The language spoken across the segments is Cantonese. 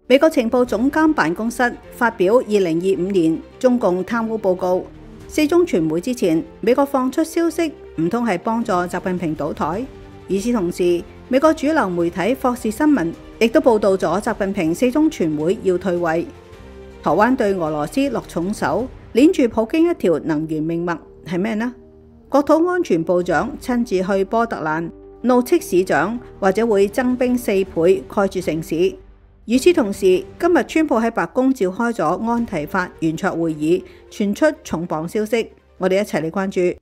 美國情報總監辦公室發表2025年中共貪污報告，四中全會之前，美國放出消息，唔通係幫助習近平倒台？與此同時，美國主流媒體霍士新聞亦都報道咗習近平四中全會要退位。台灣對俄羅斯落重手，鏈住普京一條能源命脈係咩呢？國土安全部長親自去波特蘭，怒斥市長或者會增兵4倍蓋住城市。與此同時，今日川普喺白宮召開咗安提法圓桌會議，傳出重磅消息，我哋一齊嚟關注。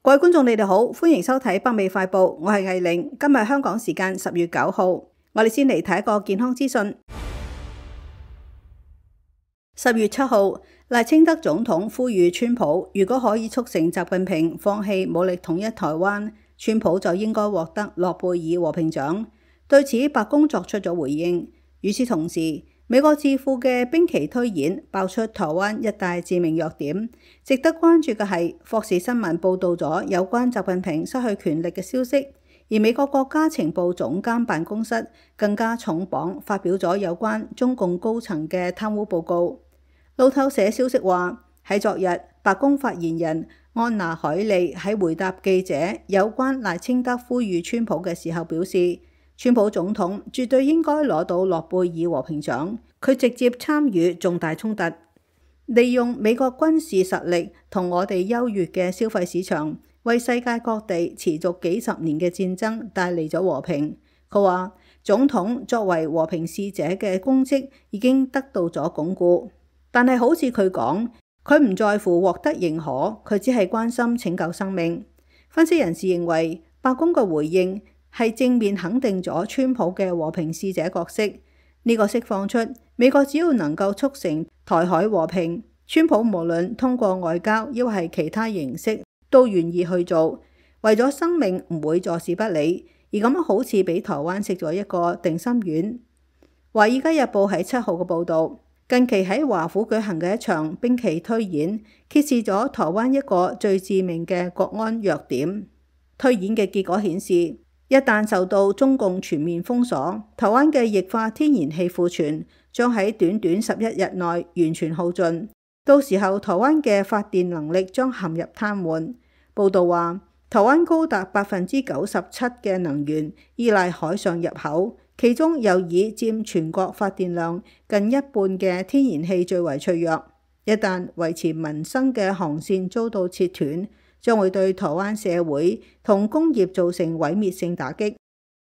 各位觀眾，你哋好，歡迎收睇北美快報，我係藝玲。今日香港時間10月9號，我哋先嚟睇一個健康資訊。10月7號，賴清德總統呼籲川普，如果可以促成習近平放棄武力統一台灣，川普就應該獲得諾貝爾和平獎。對此，白宮作出咗回應。與此同時，美國智庫嘅兵棋推演爆出台灣一大致命弱點。值得關注嘅係，霍士新聞報導咗有關習近平失去權力嘅消息，而美國國家情報總監辦公室更加重磅發表咗有關中共高層嘅貪污報告。路透社消息話，喺昨日，白宮發言人安娜海利喺回答記者有關賴清德呼籲川普嘅時候表示，川普總統絕對應該攞到諾貝爾和平獎，佢直接參與重大衝突，利用美國軍事實力同我哋優越嘅消費市場，為世界各地持續幾十年嘅戰爭帶嚟咗和平。佢話，總統作為和平使者嘅功績已經得到咗鞏固，但係好似佢講，佢唔在乎獲得認可，佢只係關心拯救生命。分析人士認為，白宮嘅回應係正面肯定咗川普嘅和平使者角色，呢個釋放出美國只要能夠促成台海和平，川普無論通過外交抑或係其他形式都願意去做，為咗生命唔會坐視不理，而咁好似俾台灣食咗一個定心丸。華爾街日報喺7號嘅報導，近期喺華府舉行嘅一場兵棋推演，揭示咗台灣一個最致命嘅國安弱點。推演嘅結果顯示，一旦受到中共全面封鎖，台灣嘅液化天然氣庫存將喺短短11日內完全耗盡，到時候台灣嘅發電能力將陷入癱瘓。報道話，台灣高達97%嘅能源依賴海上入口，其中又以佔全國發電量近一半嘅天然氣最為脆弱。一旦維持民生嘅航線遭到切斷，將會對台灣社會同工業造成毀滅性打擊。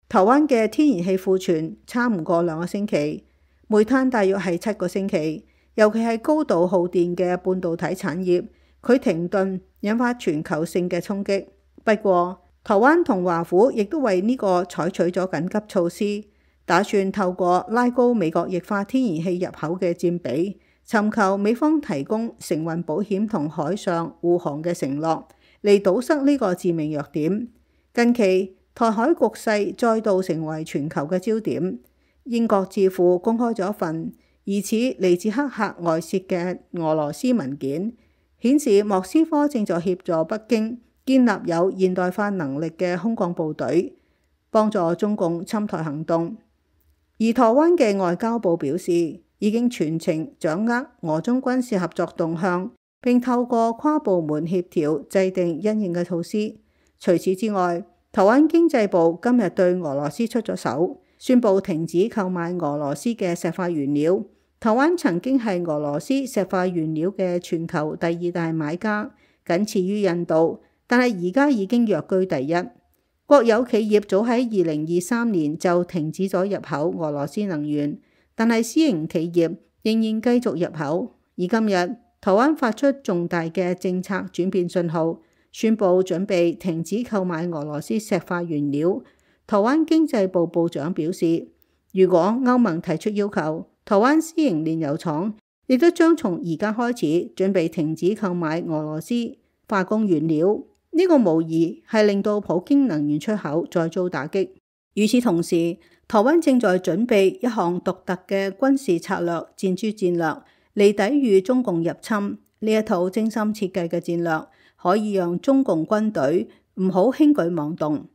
台灣嘅天然氣庫存差唔過2個星期，煤炭大約係7個星期。尤其係高度耗電嘅半導體產業，佢停頓引發全球性嘅衝擊。不過，台灣同華府亦都為呢個採取咗緊急措施，打算透過拉高美國液化天然氣入口嘅佔比，尋求美方提供承運保險同海上護航嘅承諾，嚟堵塞呢個致命弱點。近期台海局勢再度成為全球嘅焦點。英國智庫公開咗一份疑似嚟自黑客外泄嘅俄羅斯文件，顯示莫斯科正在協助北京建立有現代化能力嘅空降部隊，幫助中共侵台行動。而台灣嘅外交部表示，已經全程掌握俄中軍事合作動向，並透過跨部門協調制定因應嘅措施。除此之外，台灣經濟部今日對俄羅斯出咗手，宣布停止購買俄羅斯嘅石化原料。台灣曾經係俄羅斯石化原料嘅全球第2大買家，僅次於印度，但係而家已經躍居第1。國有企業早喺2023年就停止咗入口俄羅斯能源，但係私營企業仍然繼續入口。而今日台灣發出重大嘅政策轉變信號，宣布準備停止購買俄羅斯石化原料。台灣經濟部部長表示，如果歐盟提出要求，台灣私營煉油廠亦都將從而家開始準備停止購買俄羅斯化工原料。呢個無疑係令到普京能源出口再遭打擊。與此同時，台灣正在準備一項獨特嘅軍事策略戰珠戰略嚟抵禦中共入侵。呢一套精心設計嘅戰略可以讓中共軍隊唔好輕舉妄動。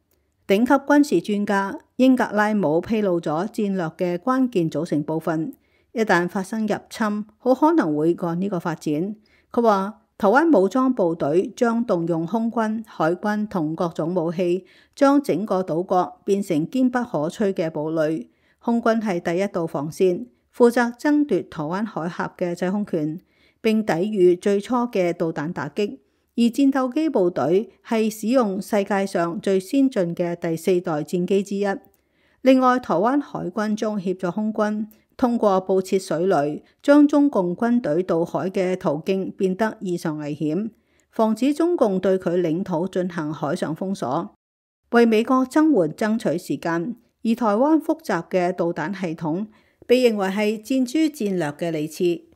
頂級軍事專家英格拉姆披露咗戰略嘅關鍵組成部分，一旦發生入侵，好可能會按呢個發展。佢話台灣武裝部隊將動用空軍、海軍同各種武器，將整個島國變成堅不可摧嘅堡壘。空軍係第一道防線，負責爭奪台灣海峽嘅制空權，並抵禦最初嘅導彈打擊。而戰鬥機部隊係使用世界上最先進嘅第4代戰機之一。另外，台灣海軍將協助空軍通過布設水雷，將中共軍隊渡海嘅途徑變得異常危險，防止中共對佢領土進行海上封鎖，為美國增援爭取時間。而台灣複雜嘅導彈系統被認為係戰諸戰略嘅利器。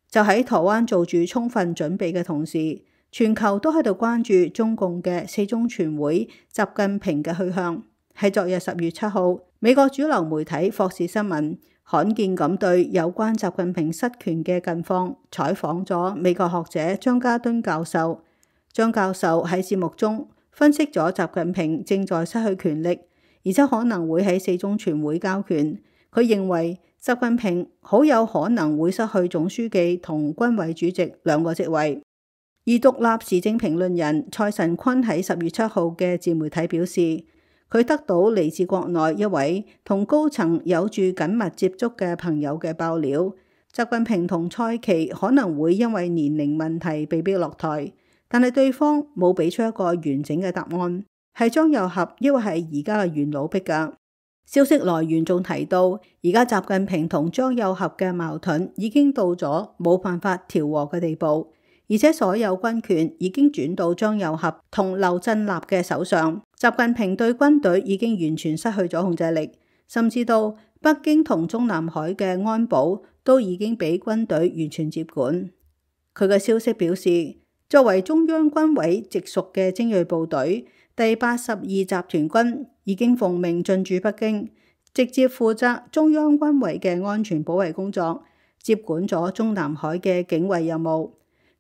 就喺台灣做住充分準備嘅同時，全球都喺度關注中共嘅4中全會習近平嘅去向。喺昨日10月7號，美國主流媒體霍士新聞罕見咁對有關習近平失權嘅近況採訪咗美國學者張家敦教授。張教授喺節目中分析咗習近平正在失去權力，而且可能會喺4中全會交權。佢認為習近平好有可能會失去總書記同軍委主席2個職位。而獨立時政評論人蔡神坤喺10月7號嘅自媒體表示，佢得到嚟自國內一位同高層有住緊密接觸嘅朋友嘅爆料，習近平同蔡奇可能會因為年齡問題被逼落台，但係對方冇俾出一個完整嘅答案，係張又俠抑或係而家嘅元老逼㗎。消息來源仲提到，而家習近平同張又俠嘅矛盾已經到咗冇辦法調和嘅地步。而且所有軍權已經轉到張又俠同劉振立嘅手上，習近平對軍隊已經完全失去咗控制力，甚至到北京同中南海嘅安保都已經俾軍隊完全接管。佢嘅消息表示，作為中央軍委直屬嘅精銳部隊，第82集團軍已經奉命進駐北京，直接負責中央軍委嘅安全保衛工作，接管咗中南海嘅警衛任務。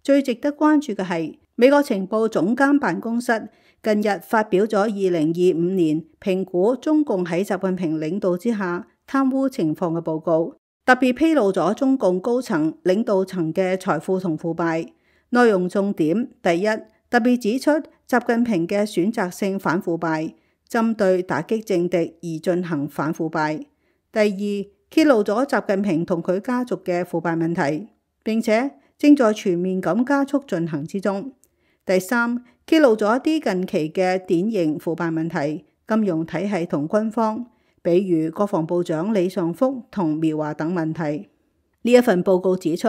最值得關注嘅係，美國情報總監辦公室近日發表咗2025年評估中共喺習近平領導之下貪污情況嘅報告，特別披露咗中共高層領導層嘅財富同腐敗。內容重點：第一，特別指出習近平嘅選擇性反腐敗，針對打擊政敵而進行反腐敗。第二，揭露咗習近平同佢家族嘅腐敗問題，並且正在全面咁加速進行之中。第三，揭露咗一啲近期嘅典型腐敗問題，金融體系同軍方，比如國防部長李尚福同苗華等問題。呢一份報告指出，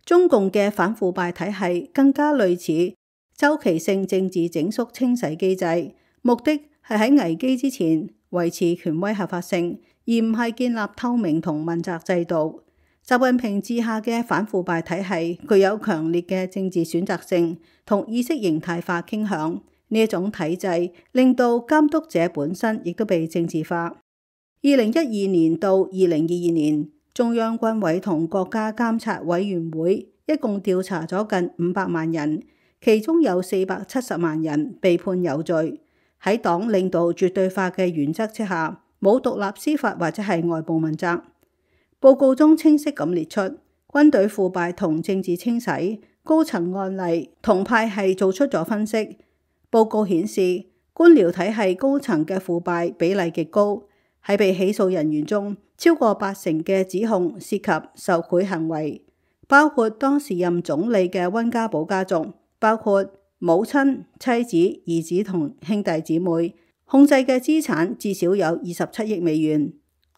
中共嘅反腐敗體系更加類似周期性政治整肅清洗機制，目的係喺危機之前維持權威合法性，而唔係建立透明同問責制度。習近平治下嘅反腐敗體系具有強烈嘅政治選擇性同意識形態化傾向，呢一種體制令到監督者本身亦都被政治化。2012年到2022年，中央軍委同國家監察委員會一共調查咗近500萬人，其中有470萬人被判有罪。喺黨領導絕對化嘅原則之下，冇獨立司法或者係外部問責。報告中清晰咁列出軍隊腐敗同政治清洗高層案例同派系做出咗分析。報告顯示，官僚體系高層嘅腐敗比例極高，喺被起訴人員中，超過80%嘅指控涉及受賄行為，包括當時任總理嘅溫家寶家族，包括母親、妻子、兒子同兄弟姊妹，控制嘅資產至少有27億美元。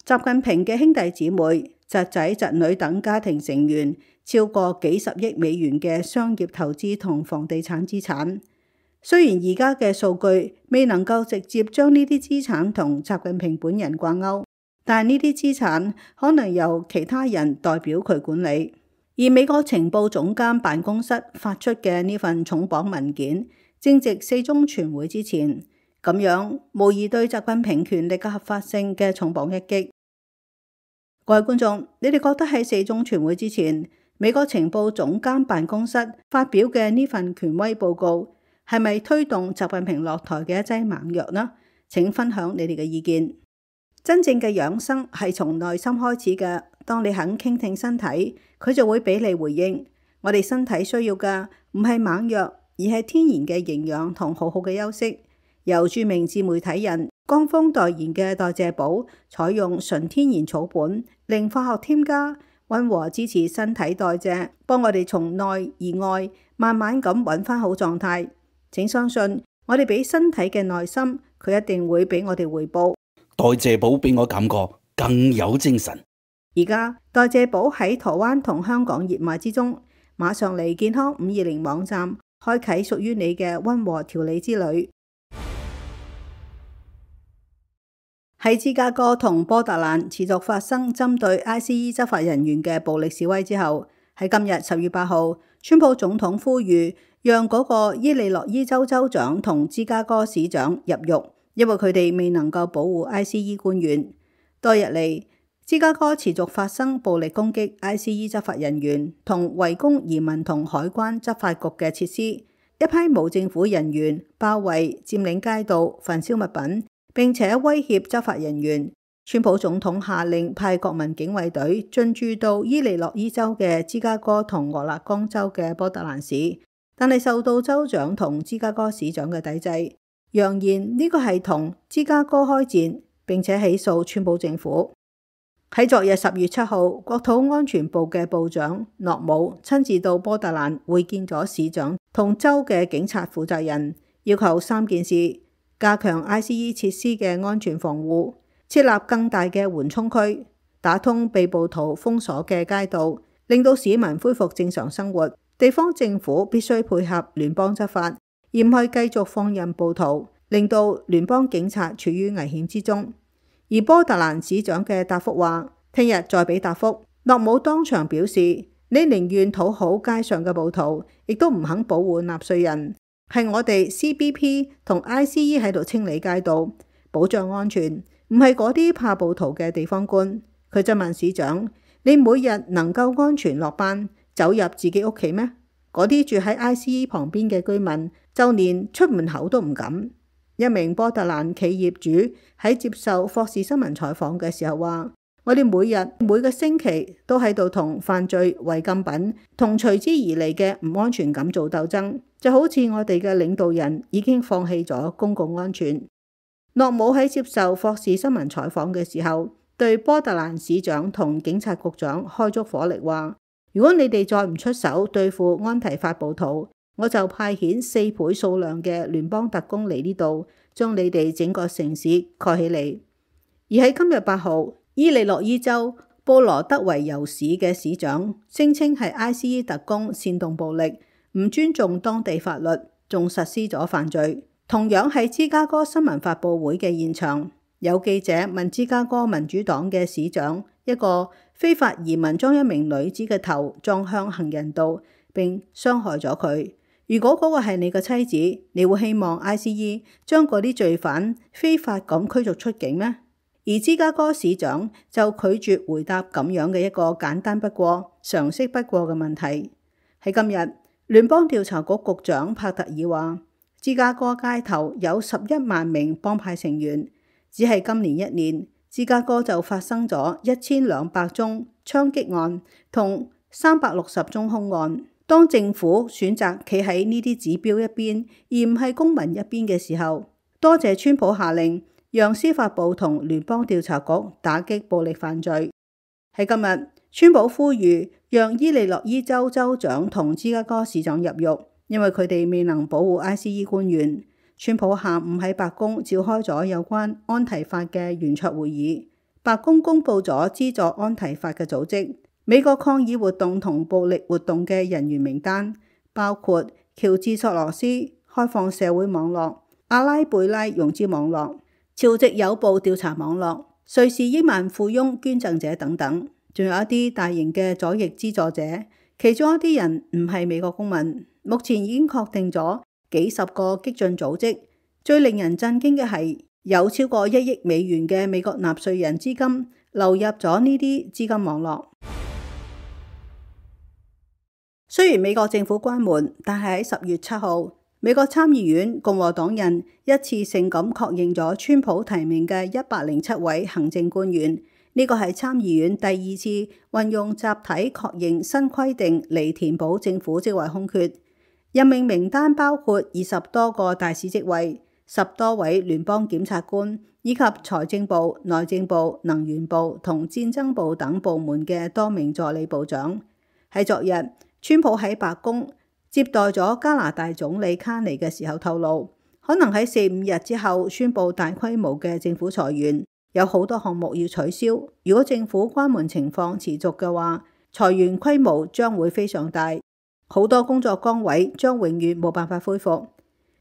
習近平嘅兄弟姊妹、侄仔、侄女等家庭成員超過幾十億美元嘅商業投資同房地產資產。雖然而家嘅數據未能夠直接將呢啲資產同習近平本人掛鈎，但呢啲資產可能由其他人代表佢管理。而美國情報總監辦公室發出嘅呢份重磅文件，正值4中全會之前，咁樣無疑對習近平權力嘅合法性嘅重磅一擊。各位觀眾，你哋覺得喺4中全會之前，美國情報總監辦公室發表嘅呢份權威報告係咪推動習近平落台嘅一劑猛藥呢？請分享你哋嘅意見。真正嘅養生係從內心開始嘅，當你肯傾聽身體，佢就會俾你回應。我哋身體需要嘅唔係猛藥，而係天然嘅營養同好好嘅休息。由著名自媒體人江峰代言嘅代謝寶，採用純天然草本，零化學添加，溫和支持身體代謝，幫我哋從內而外慢慢咁揾翻好狀態。請相信我哋俾身體嘅耐心，佢一定會俾我哋回報。代謝寶俾我感覺更有精神。而家代謝寶喺台灣同香港熱賣之中，馬上嚟健康520網站，開啟屬於你嘅溫和調理之旅。喺芝加哥同波特蘭持續發生針對 ICE 執法人員嘅暴力示威之後，喺今日10月8號，川普總統呼籲讓嗰個伊利諾伊州州長同芝加哥市長入獄，因為佢哋未能夠保護 ICE 官員。多日嚟，芝加哥持續發生暴力攻擊 ICE 執法人員同圍攻移民同海關執法局嘅設施，一批無政府人員包圍佔領街道，焚燒物品，並且威脅執法人員。川普總統下令派國民警衛隊進駐到伊利諾伊州嘅芝加哥同俄勒岡州嘅波特蘭市，但係受到州長同芝加哥市長嘅抵制，揚言呢個係同芝加哥開戰，並且起訴川普政府。喺昨日10月7號，國土安全部嘅部長諾姆親自到波特蘭會見咗市長同州嘅警察負責人，要求3件事：加強 ICE 設施嘅安全防護，設立更大嘅緩衝區，打通被暴徒封鎖嘅街道，令到市民恢復正常生活。地方政府必須配合聯邦執法，而唔係繼續放任暴徒，令到聯邦警察處於危險之中。而波特蘭市長嘅答覆話，聽日再俾答覆。諾姆當場表示，你寧願討好街上嘅暴徒，亦都唔肯保護納稅人。係我哋 CBP 同 ICE 喺度清理街道，保障安全，唔係嗰啲怕暴徒嘅地方官。佢就問市長，你每日能夠安全落班，走入自己屋企咩？嗰啲住喺 ICE 旁邊嘅居民，就連出門口都唔敢。一名波特蘭企業主喺接受霍士新聞採訪嘅時候話，我哋每個星期都喺度同犯罪、違禁品同隨之而嚟嘅唔安全感做鬥爭，就好似我哋嘅領導人已經放棄咗公共安全。諾姆喺接受霍士新聞採訪嘅時候，對波特蘭市長同警察局長開足火力話，如果你哋再唔出手對付安提法暴徒，我就派遣4倍數量嘅聯邦特工嚟呢度，將你哋整個城市蓋起嚟。而喺今日8號，伊利諾伊州布羅德維尤市嘅市長聲稱係 ICE 特工煽動暴力，唔尊重當地法律，仲實施咗犯罪。同樣係芝加哥新聞發佈會嘅現場，有記者問芝加哥民主黨嘅市長，一個非法移民將一名女子嘅頭撞向行人道並傷害咗佢。如果嗰個係你嘅妻子，你會希望 ICE 將嗰啲罪犯非法咁驅逐出境咩？而芝加哥市長就拒絕回答咁樣嘅一個簡單不過、常識不過嘅問題。喺今日，聯邦調查局局長帕特爾話，芝加哥街頭有11萬名幫派成員，只係今年1年，芝加哥就發生咗1200宗槍擊案同360宗兇案。當政府選擇企喺呢啲指標一邊，而唔係公民一邊嘅時候，多謝川普下令讓司法部同聯邦調查局打擊暴力犯罪。喺今日，川普呼籲讓伊利諾伊州州長同芝加哥市長入獄，因為佢哋未能保護 ICE 官員。川普下午喺白宮召開咗有關安提法嘅圓桌會議，白宮公布咗資助安提法嘅組織、美國抗議活動同暴力活動嘅人員名單，包括喬治索羅斯、開放社會網絡、阿拉貝拉融資網絡、朝夕有報調查網絡、瑞士億萬富翁捐贈者等等，仲有一啲大型嘅左翼資助者，其中一啲人唔係美國公民。目前已經確定咗幾十個激進組織。最令人震驚嘅係，有超過1億美元嘅美國納稅人資金流入咗呢啲資金網絡。雖然美國政府關門，但係喺10月7號，美國參議院共和黨人一次性咁確認咗川普提名嘅107位行政官員，呢個係參議院第2次運用集體確認新規定嚟填補政府職位空缺。任命名單包括20多個大使職位、10多位聯邦檢察官，以及財政部、內政部、能源部同戰爭部等部門嘅多名助理部長。喺昨日，川普喺白宮接待咗加拿大總理卡尼嘅時候透露，可能喺4-5日之後宣布大規模嘅政府裁員，有好多項目要取消。如果政府關門情況持續嘅話，裁員規模將會非常大，好多工作崗位將永遠冇辦法恢復。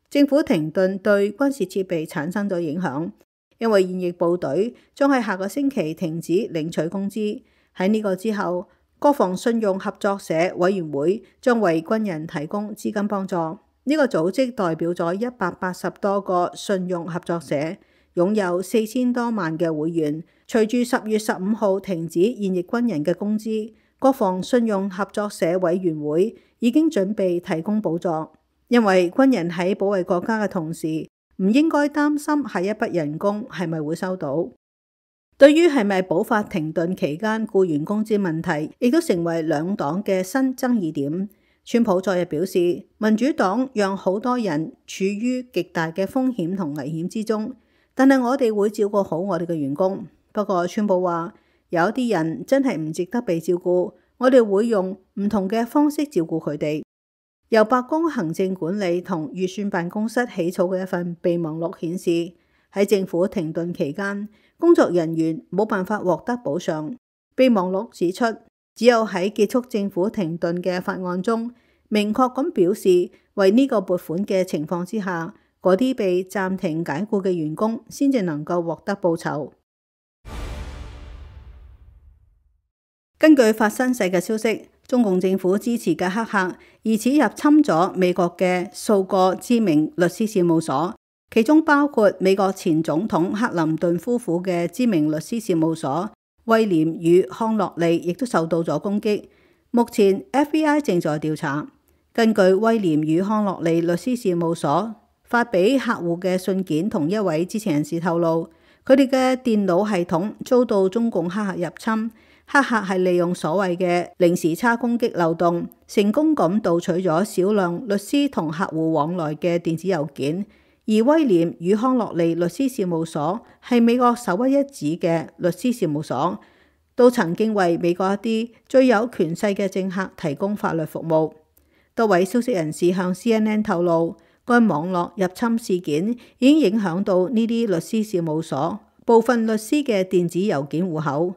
政府停頓對軍事設備產生咗影響，因為現役部隊將喺下個星期停止領取工資。喺呢個之後，國防信用合作社委員會將為軍人提供資金幫助。呢個組織代表咗180多個信用合作社，擁有4000多萬嘅會員。隨住10月15號停止現役軍人嘅工資，國防信用合作社委員會已經準備提供補助，因為軍人喺保衛國家嘅同時，唔應該擔心下一筆人工係咪會收到。對於係咪補發停頓期間僱員工資問題，亦都成為兩黨嘅新爭議點。川普昨日表示，民主黨讓好多人處於極大嘅風險同危險之中，但係我哋會照顧好我哋嘅員工。不過川普話，有啲人真係唔值得被照顧，我哋會用唔同嘅方式照顧佢哋。由白宮行政管理同預算辦公室起草嘅一份備忘錄顯示，喺政府停頓期間，工作人員冇辦法獲得補償。備忘錄指出，只有喺結束政府停頓嘅法案中，明確咁表示為呢個撥款嘅情況之下，嗰啲被暫停解僱嘅員工先至能夠獲得報酬。根據法新社嘅消息，中共政府支持嘅黑客疑似入侵咗美國嘅數個知名律師事務所，其中包括美國前總統克林頓夫婦嘅知名律師事務所威廉與康樂利，亦都受到咗攻擊。目前 FBI 正在調查。根據威廉與康樂利律師事務所發俾客戶嘅信件，同一位知情人士透露，佢哋嘅電腦系統遭到中共黑客入侵。黑客係利用所謂嘅零時差攻擊漏洞，成功咁盜取咗少量律師同客戶往來嘅電子郵件。而威廉與康樂利律師事務所係美國首屈一指嘅律師事務所，都曾經為美國一啲最有權勢嘅政客提供法律服務。多位消息人士向 CNN 透露，該網絡入侵事件已經影響到呢啲律師事務所部分律師嘅電子郵件戶口。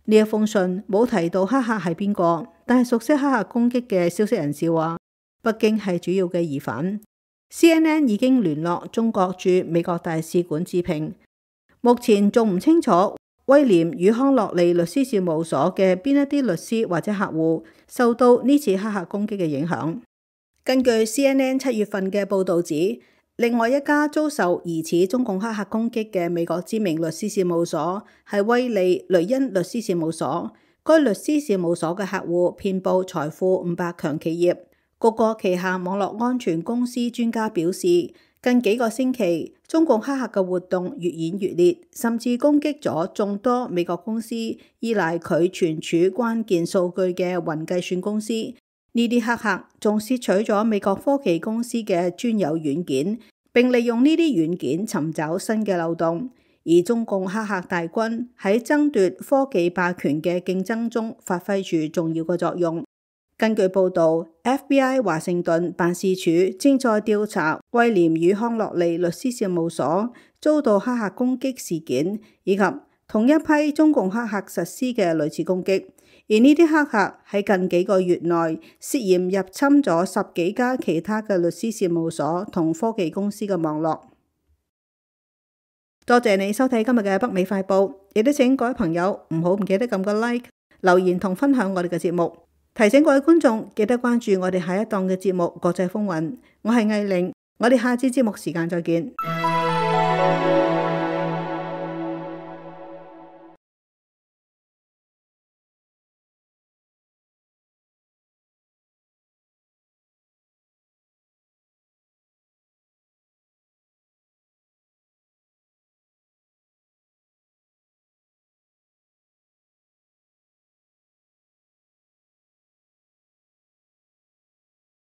呢一封信冇提到黑客係邊個，但係熟悉黑客攻擊嘅消息人士話，北京係主要嘅疑犯。CNN 已經聯絡中國駐美國大使館置評，目前仲唔清楚威廉與康樂利律師事務所嘅邊一啲律師或者客戶受到呢次黑客攻擊嘅影響。根據 CNN 7月份嘅報導指，另外一家遭受疑似中共黑客攻擊嘅美國知名律師事務所係威利雷恩律師事務所。該律師事務所嘅客戶遍佈財富500強企業。谷歌旗下網絡安全公司專家表示，近幾個星期，中共黑客嘅活動越演越烈，甚至攻擊咗眾多美國公司依賴佢存儲關鍵數據嘅雲計算公司。呢啲黑客仲竊取咗美國科技公司嘅專有軟件，並利用呢啲軟件尋找新嘅漏洞。而中共黑客大軍喺爭奪科技霸權嘅競爭中發揮住重要嘅作用。根據報導， FBI 華盛頓辦事處正在調查威廉與康樂利律師事務所遭到黑客攻擊事件，以及同一批中共黑客實施嘅類似攻擊。而呢啲黑客喺近幾個月內涉嫌入侵咗10幾家其他嘅律師事務所同科技公司嘅網絡。多謝你收睇今日嘅北美快報，亦都請各位朋友唔記得撳個 like、留言同分享我哋嘅節目。提醒各位觀眾記得關注我哋下一檔嘅節目《國際風雲》。我係藝玲，我哋下次節目時間再見。